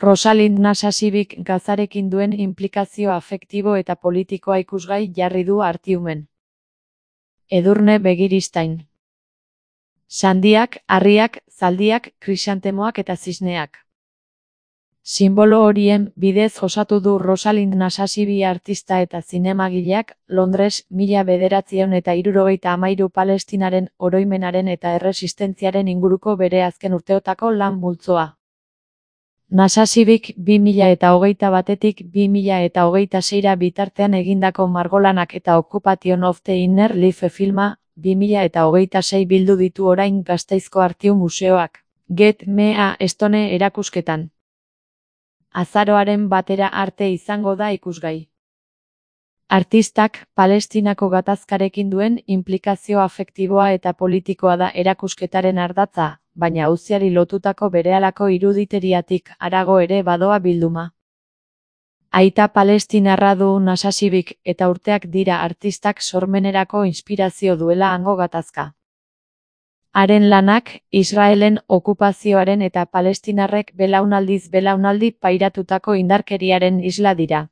Rosalind Nasasibik Gazarekin duen inplikazio afektibo eta politikoa ikusgai jarri du Artiumen. Edurne Begiristain. Sandiak, harriak, zaldiak, krisantemoak eta zisneak. Sinbolo horien bidez osatu du Rosalind Nasasibi artista eta zinemagileak Londres 1973 Palestinaren oroimenaren eta erresistentziaren inguruko bere azken urteotako lan multzoa. Nasasibik 2021-tik 2026 bitartean egindako margolanak eta Occupation of the Inner Life filma 2026 bildu ditu orain Gasteizko Artium Museoak, Get Me a Stone erakusketan. Azaroaren 1 arte izango da ikusgai. Artistak Palestinako gatazkarekin duen inplikazio afektiboa eta politikoa da erakusketaren ardatza, baina auziari lotutako berehalako iruditeriatik harago ere badoa bilduma. Aita palestinarra du Nasasibik eta urteak dira artistak sormenerako inspirazio duela hango gatazka. Haren lanak, Israelen okupazioaren eta palestinarrek belaunaldiz belaunaldi pairatutako indarkeriaren isla dira.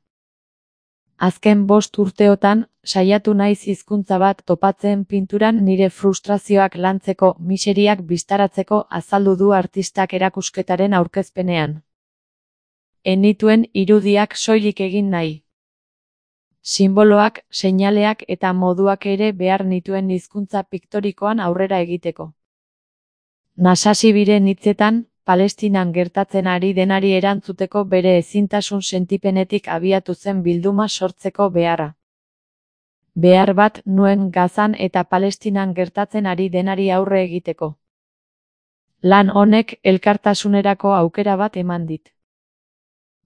Azken 5 urteotan, saiatu naiz hizkuntza bat topatzen pinturan nire frustrazioak lantzeko, miseriak bistaratzeko azaldu du artistak erakusketaren aurkezpenean. Enituen irudiak soilik egin nahi. Sinboloak, seinaleak eta moduak ere behar nituen hizkuntza piktorikoan aurrera egiteko. Nasasibiren hitzetan, Palestinan gertatzen ari denari erantzuteko bere ezintasun sentipenetik abiatu zen bilduma sortzeko beharra. Behar bat nuen Gazan eta Palestinan gertatzen ari denari aurre egiteko. Lan honek elkartasunerako aukera bat eman dit.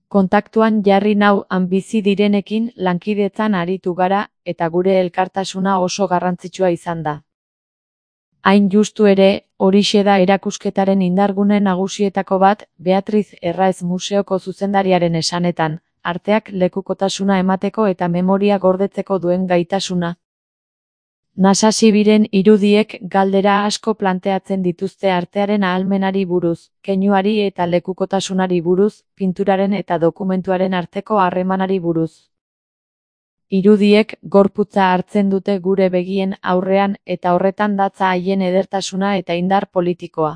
Kontaktuan jarri nau han bizi direnekin lankidetzan aritu gara eta gure elkartasuna oso garrantzitsua izan da. Hain justu ere, horixe da erakusketaren indargune nagusietako bat, Beatriz Erraez museoko zuzendariaren esanetan, arteak lekukotasuna emateko eta memoria gordetzeko duen gaitasuna. Nasasibiren irudiek galdera asko planteatzen dituzte artearen ahalmenari buruz, keinuari eta lekukotasunari buruz, pinturaren eta dokumentuaren arteko harremanari buruz. Irudiek gorputza hartzen dute gure begien aurrean eta horretan datza haien edertasuna eta indar politikoa.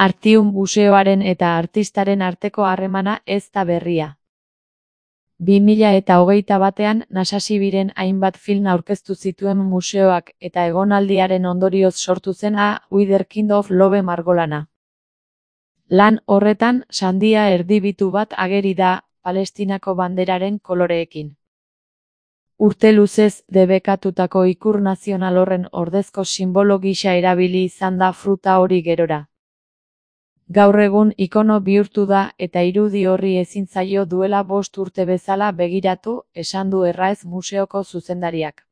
Artium museoaren eta artistaren arteko harremana ez da berria. 2021 Nasasibiren hainbat film aurkeztu zituen museoak eta egonaldiaren ondorioz sortu zen A Wider Kind of Love margolana. Lan horretan, sandia erdibitu bat ageri da, Palestinako banderaren koloreekin. Urte luzez debekatutako ikur nazional horren ordezko sinbolo gisa erabili izan da fruta hori gerora. Gaur egun ikono bihurtu da eta irudi horri ezin zaio duela 5 urte bezala begiratu, esan du Erraez museoko zuzendariak.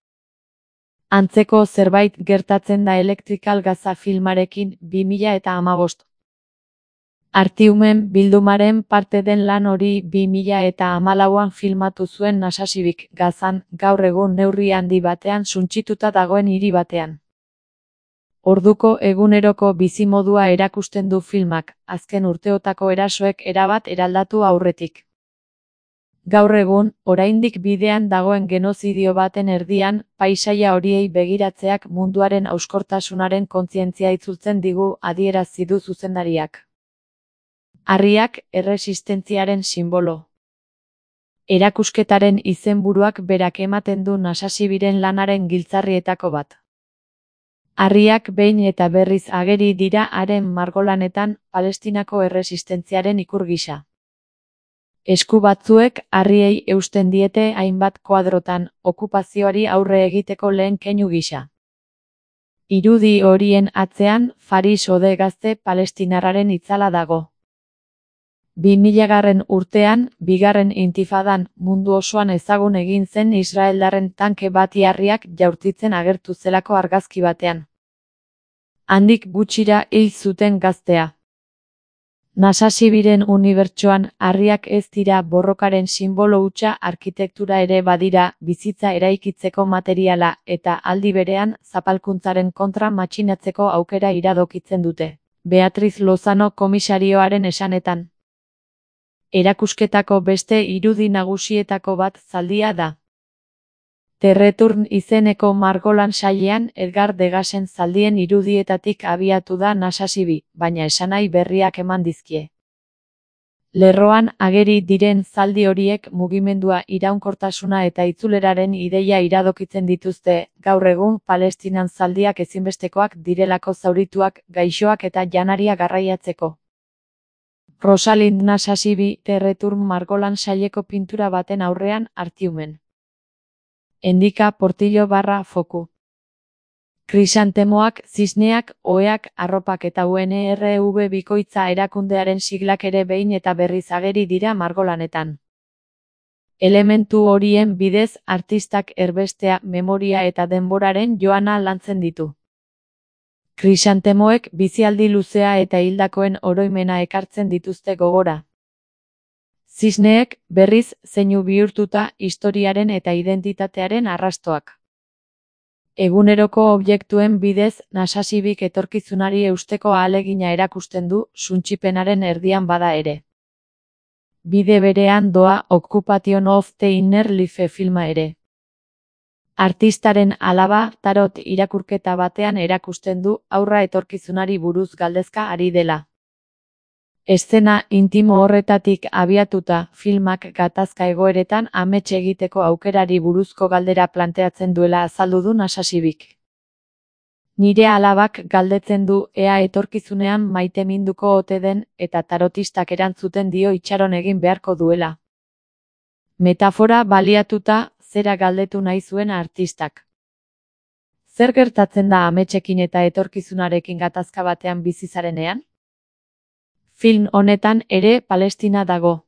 Antzeko zerbait gertatzen da Electrical Gaza filmarekin 2015. Artiumen bildumaren parte den lan hori 2014an filmatu zuen Nasasibik Gazan, gaur egun neurri handi batean suntsituta dagoen hiri batean. Orduko eguneroko bizimodua erakusten du filmak, azken urteotako erasoek erabat eraldatu aurretik. Gaur egun, oraindik bidean dagoen genozidio baten erdian, paisaia horiei begiratzeak munduaren hauskortasunaren kontzientzia itzultzen digu adierazi du zuzendariak. Harriak erresistentziaren sinbolo. Erakusketaren izenburuak berak ematen du Nasasibiren lanaren giltzarrietako bat. Harriak behin eta berriz ageri dira haren margolanetan Palestinako erresistentziaren ikur gisa. Esku batzuek harriei eusten diete hainbat koadrotan, okupazioari aurre egiteko lehen keinu gisa. Irudi horien atzean Faris Ode gazte palestinarraren itzala dago. 2000 urtean, bigarren intifadan, mundu osoan ezagun egin zen israeldarren tanke bati harriak jaurtitzen agertu zelako argazki batean. Handik gutxira hil zuten gaztea. Nasasibiren unibertsoan harriak ez dira borrokaren sinbolo hutsa, arkitektura ere badira, bizitza eraikitzeko materiala eta aldi berean zapalkuntzaren kontra matxinatzeko aukera iradokitzen dute. Beatriz Lozano komisarioaren esanetan. Erakusketako beste irudi nagusietako bat zaldia da. The Return izeneko margolan sailean Edgar Degasen zaldien irudietatik abiatu da Nasasibi, baina esanahi berriak eman dizkie. Lerroan ageri diren zaldi horiek mugimendua, iraunkortasuna eta itzuleraren ideia iradokitzen dituzte, gaur egun Palestinan zaldiak ezinbestekoak direlako zaurituak, gaixoak eta janaria garraiatzeko. Rosalind Nasasibi, The Return margolan saileko pintura baten aurrean, Artiumen. Endika Portillo /Foku. Krisantemoak, zizneak, oheak, arropak eta UNRV bikoitza erakundearen siglak ere behin eta berriz ageri dira margolanetan. Elementu horien bidez artistak erbestea, memoria eta denboraren joana lantzen ditu. Krisantemoek bizialdi luzea eta hildakoen oroimena ekartzen dituzte gogora. Zizneek, berriz, zeinu bihurtuta historiaren eta identitatearen arrastoak. Eguneroko objektuen bidez, Nasasibik etorkizunari eusteko ahalegina erakusten du, suntsipenaren erdian bada ere. Bide berean doa Occupation of the Inner Life filma ere. Artistaren alaba, tarot irakurketa batean erakusten du, aurra etorkizunari buruz galdezka ari dela. Eszena intimo horretatik abiatuta, filmak gatazka egoeretan amets egiteko aukerari buruzko galdera planteatzen duela azaldu du Nasasibik. Nire alabak galdetzen du ea etorkizunean maiteminduko ote den eta tarotistak erantzuten dio itxaron egin beharko duela. Metafora baliatuta, zera galdetu nahi zuen artistak. Zer gertatzen da ametsekin eta etorkizunarekin gatazka batean bizi zarenean? Film honetan ere Palestina dago.